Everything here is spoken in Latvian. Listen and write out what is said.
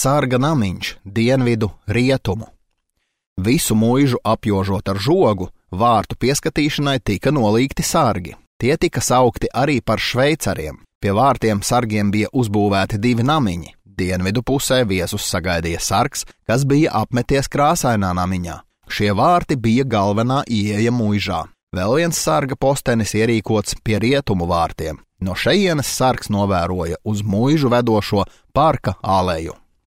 sarga namiņš dienvidu rietumu. Visu muižu apjožot ar žogu, vārtu pieskatīšanai tika nolīgti sargi. Tie tika saukti arī par šveicariem. Pie vārtiem sargiem bija uzbūvēti 2 namiņi. Dienvidu pusē viesus sagaidīja sargs, kas bija apmeties krāsainā namiņā. Šie vārti bija galvenā ieeja muižā. Vēl viens sarga postenis ierīkots pie rietumu vārtiem. No šejienes sargs novēroja uz muižu vedošo parka aleju.